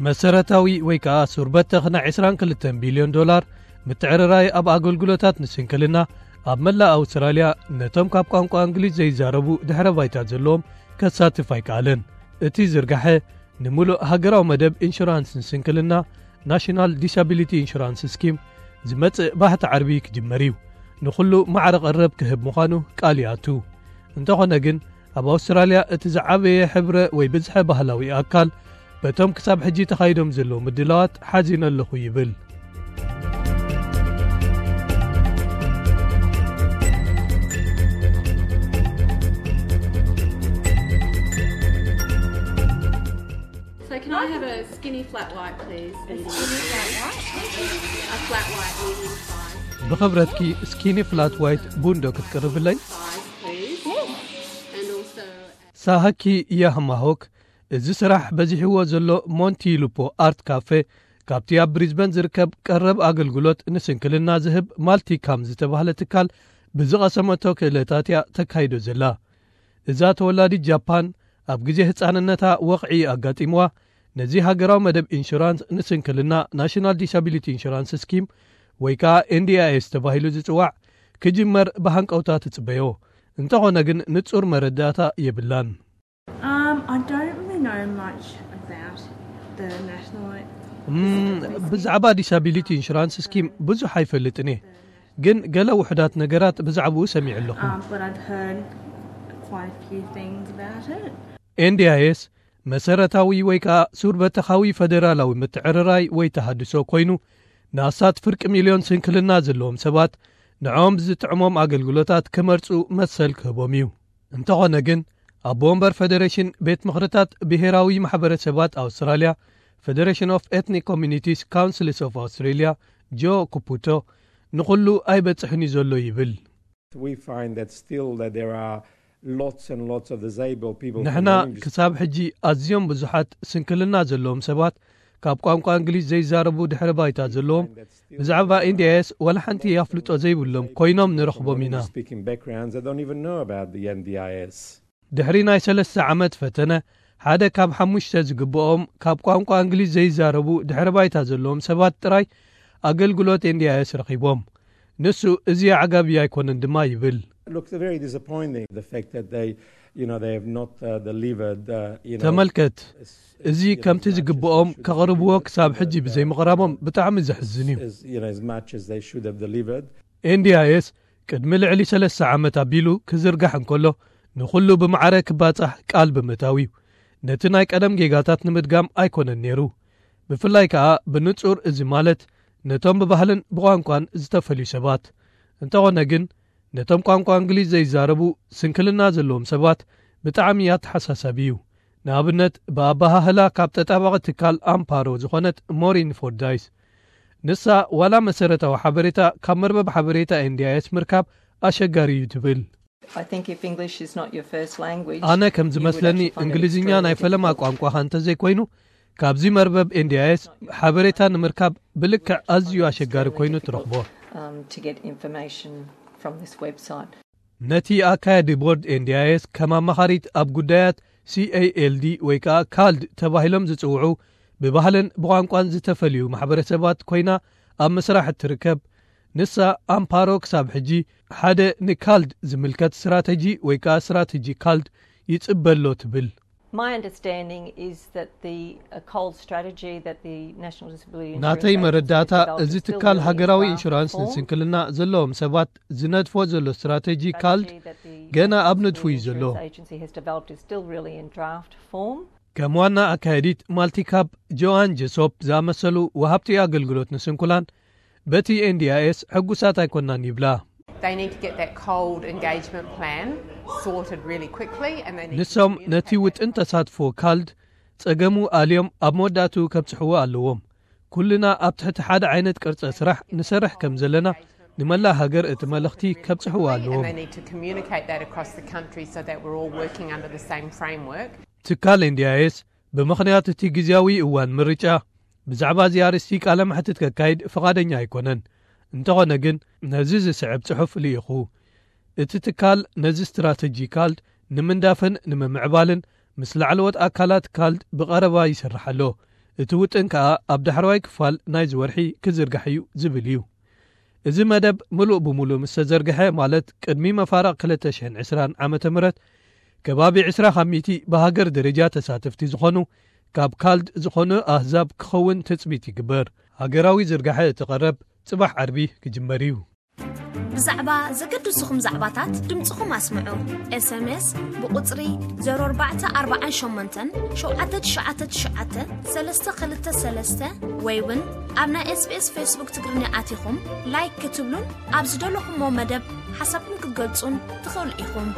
መሰረታዊ ወይ ከኣ ሱር በተኽ ናይ ዕስራን ክልተን ቢልዮን ዶላር ምትዕርራይ ኣብ ኣገልግሎታት ንስንክልና ኣብ መላእ ኣውስትራልያ ነቶም ካብ ቋንቋ እንግሊዝ ዘይዛረቡ ድሕረ ባይታ ዘለዎም ከሳትፍ ኣይከኣለን። እቲ ዝርጋሐ ንምሉእ ሃገራዊ መደብ ኢንሹራንስ ንስንክልና፣ ናሽናል ዲሳቢሊቲ ኢንሹራንስ ስኪም፣ ዝመጽእ ባሕቲ ዓርቢ ክጅመር እዩ። ንኹሉ ማዕረ ቀረብ ክህብ ምዃኑ ቃል ይኣቱ። እንተኾነ ግን ኣብ ኣውስትራልያ እቲ ዝዓበየ ሕብረ ወይ ብዝሐ ባህላዊ ኣካል በቶም ክሳብ ሕጂ ተኻይዶም ዘለዉ ምድላዋት ሓዚነ ኣለኹ ይብል። So can I have a skinny flat white, please? A skinny flat white? A flat white, medium size. ብኽብረትኪ ስኪኒ ፍላት ዋይት ቡን ዶ ክትቅርብለይ? Size, please. And also ሳሃኪ ያህማሆክ፣ እዚ ስራሕ በዚሕዎ ዘሎ ሞንቲ ሉፖ ኣርት ካፌ፣ ካብቲ ኣብ ብሪዝበን ዝርከብ ቀረብ ኣገልግሎት ንስንክልና ዝህብ ማልቲካም ዝተባህለ ትካል ብዝቐሰመቶ ክእለታት እያ ተካይዶ ዘላ። እዛ ተወላዲት ጃፓን፣ ኣብ ግዜ ህጻንነታ ወቕዒ ኣጋጢምዋ፣ ነዚ ሃገራዊ መደብ ኢንሹራንስ ንስንክልና፣ ናሽናል ዲሳቢሊቲ ኢንሹራንስ ስኪም ወይ ከኣ ኤንዲኣይኤስ ተባሂሉ ዝጽዋዕ፣ ክጅመር ብሃንቀውታ ትጽበዮ። እንተኾነ ግን ንጹር መረዳእታ የብላን። Um, I don't really know much about the national. እም፣ ብዛዕባ ዲሳቢሊቲ ኢንሹራንስ ስኪም ብዙሕ ኣይፈልጥን እየ፣ ግን ገለ ውሑዳት ነገራት ብዛዕባኡ ሰሚዐ ኣለኹ። Um, but I've heard quite a few things about it. ኤንዲኣይኤስ መሰረታዊ ወይ ከኣ ሱር በተኻዊ ፈደራላዊ ምትዕርራይ ወይ ተሃድሶ ኮይኑ፣ ንኣስታት ፍርቂ ሚልዮን ስንክልና ዘለዎም ሰባት ንዕኦም ዝጥዕሞም ኣገልግሎታት ክመርጹ መሰል ክህቦም እዩ። እንተኾነ ግን፣ ኣቦ ወንበር ፈደሬሽን ቤት ምኽርታት ብሄራዊ ማሕበረሰባት ኣውስትራልያ፣ Federation of Ethnic Communities Councils of Australia፣ ጆ ኩፑቶ፣ ንኹሉ ኣይበጽሕን እዩ ዘሎ ይብል። We find that still that there are lots and lots of disabled people from ንሕና the English ክሳብ ሕጂ ኣዝዮም ብዙሓት ስንክልና ዘለዎም ሰባት፣ ካብ ቋንቋ እንግሊዝ ዘይዛረቡ ድሕረ ባይታ ዘለዎም፣ ብዛዕባ ኤንዲኣይኤስ ዋላ ሓንቲ ኣፍልጦ ዘይብሎም ኮይኖም ንረኽቦም ኢና። Speaking backgrounds that don't even know about the N D I S. ድሕሪ ናይ ሰለስተ ዓመት ፈተነ፣ ሓደ ካብ ሓሙሽተ ዝግብኦም ካብ ቋንቋ እንግሊዝ ዘይዛረቡ ድሕረ ባይታ ዘለዎም ሰባት ጥራይ ኣገልግሎት ኤንዲኣይኤስ ረኺቦም። ንሱ እዚ ኣዕጋቢ ኣይኮነን ድማ ይብል። Look, it's very disappointing, the fact that they, you know, they have not uh, delivered, uh, you know, ተመልከት፣ እዚ you know, ከምቲ as much as ዝግብኦም they should ከቕርብዎ deliver, ክሳብ ሕጂ delivered, uh, ብዘይምቕራቦም ብጣዕሚ ዘሕዝን እዩ። as, you know, as much as they should have delivered. ኤንዲኣይኤስ ቅድሚ ልዕሊ ሰለስተ ዓመት ኣቢሉ ክዝርጋሕ እንከሎ፣ ንኹሉ ብማዕረ ክባጻሕ ቃል ብምእታው እዩ። ነቲ ናይ ቀደም ጌጋታት ንምድጋም ኣይኮነን ነይሩ። ብፍላይ ከኣ ብንጹር እዚ ማለት ነቶም ብባህልን ብቋንቋን ዝተፈልዩ ሰባት። እንተኾነ ግን፣ ነቶም ቋንቋ እንግሊዝ ዘይዛረቡ ስንክልና ዘለዎም ሰባት ብጣዕሚ ኣተሓሳሳቢ እዩ። ንኣብነት፣ ብኣበሃህላ ካብ ተጣባቒ ትካል ኣምፓሮ ዝኾነት ሞሪን ፎርዳይስ፣ ንሳ ዋላ መሰረታዊ ሓበሬታ ካብ መርበብ ሓበሬታ ኤንዲኣይኤስ ምርካብ ኣሸጋሪ እዩ ትብል። I think if English is not your first language, ኣነ ከም ዝመስለኒ፣ እንግሊዝኛ ናይ ፈለማ ቋንቋኻ እንተዘይኮይኑ፣ ካብዚ መርበብ ኤንዲኣይኤስ ሓበሬታ ንምርካብ ብልክዕ ኣዝዩ ኣሸጋሪ ኮይኑ ትረኽቦ። Um, to get information from this website. ነቲ ኣካያዲ ቦርድ ኤንዲኣይኤስ ከም ኣማኻሪት ኣብ ጉዳያት ሲኤኤልዲ ወይ ከኣ ካልድ ተባሂሎም ዝጽውዑ ብባህልን ብቋንቋን ዝተፈልዩ ማሕበረሰባት ኮይና ኣብ ምስራሕ እትርከብ ንሳ፣ ኣምፓሮ ክሳብ ሕጂ ሓደ ንካልድ ዝምልከት ስትራተጂ ወይ ከኣ ስትራተጂ ካልድ ይጽበ ኣሎ ትብል። My understanding is that the uh, cold strategy that the National Disability Insurance ናተይ Agency መረዳእታ developed እዚ is still ትካል really in ሃገራዊ draft ኢንሹራንስ form. ንስንክልና ዘለዎም ሰባት ዝነድፎ ዘሎ ስትራተጂ ካልድ Strategy that the ገና ኣብ National ንድፉ እዩ Disability ዘሎ። Insurance Agency has developed is still really in draft form. ከም ዋና ኣካየዲት ማልቲካፕ ጆኣን ጀሶፕ ዝኣመሰሉ ወሃብቲ ኣገልግሎት ንስንኩላን በቲ ኤንዲኣይኤስ ሕጉሳት ኣይኮናን ይብላ። They need to get that cold engagement plan sorted really quickly and they need to ንሶም ነቲ communicate ውጥን ተሳትፎ ካልድ ጸገሙ ኣልዮም ኣብ መወዳእትኡ ከብጽሕዎ ኣለዎም። ኩልና ኣብ ትሕቲ ሓደ ዓይነት ቅርጸ ስራሕ ንሰርሕ ከም ዘለና ንመላእ ሃገር እቲ መልእኽቲ ከብጽሕዎ ኣለዎም። And they need to communicate that across the country so that we're all working under the same framework. ትካል ኤንዲኣይኤስ ብምኽንያት እቲ ግዜያዊ እዋን ምርጫ ብዛዕባ እዚ ኣርእስቲ ቃለ መሕትት ከካይድ ፍቓደኛ ኣይኮነን። እንተኾነ ግን ነዚ ዝስዕብ ጽሑፍ ልኢኹ። እቲ ትካል ነዚ ስትራተጂ ካልድ ንምንዳፍን ንምምዕባልን ምስ ላዕለዎት ኣካላት ካልድ ብቐረባ ይሰርሕ ኣሎ። እቲ ውጥን ከኣ ኣብ ዳሕረዋይ ክፋል ናይዚ ወርሒ ክዝርጋሕ እዩ ዝብል እዩ። እዚ መደብ ምሉእ ብምሉእ ምስ ተዘርግሐ፣ ማለት ቅድሚ መፋርቕ ክልተ ሽሕን ዕስራን ዓመተ ምህረት፣ ከባቢ ዕስራ ካብ ሚእቲ ብሃገር ደረጃ ተሳተፍቲ ዝኾኑ ካብ ካልድ ዝኾኑ ኣህዛብ ክኸውን ትጽቢት ይግበር። ሃገራዊ ዝርጋሐ እቲ ቀረብ ጽባሕ ዓርቢ ክጅመር እዩ። ብዛዕባ ዘገድሱኹም ዛዕባታት ድምፅኹም ኣስምዑ። ኤስኤምኤስ ብቁፅሪ ዜሮ ኣርባዕተ ኣርባዓን ሸሞንተን ሸውዓተ ትሽዓተ ክልተ ሰለስተ ወይ እውን ኣብ ናይ ኤስቢኤስ ፌስቡክ ትግርኛ ኣቲኹም ላይክ ክትብሉን ኣብ ዝደለኹሞ መደብ ሓሳብኩም ክትገልጹን ትኽእሉ ኢኹም።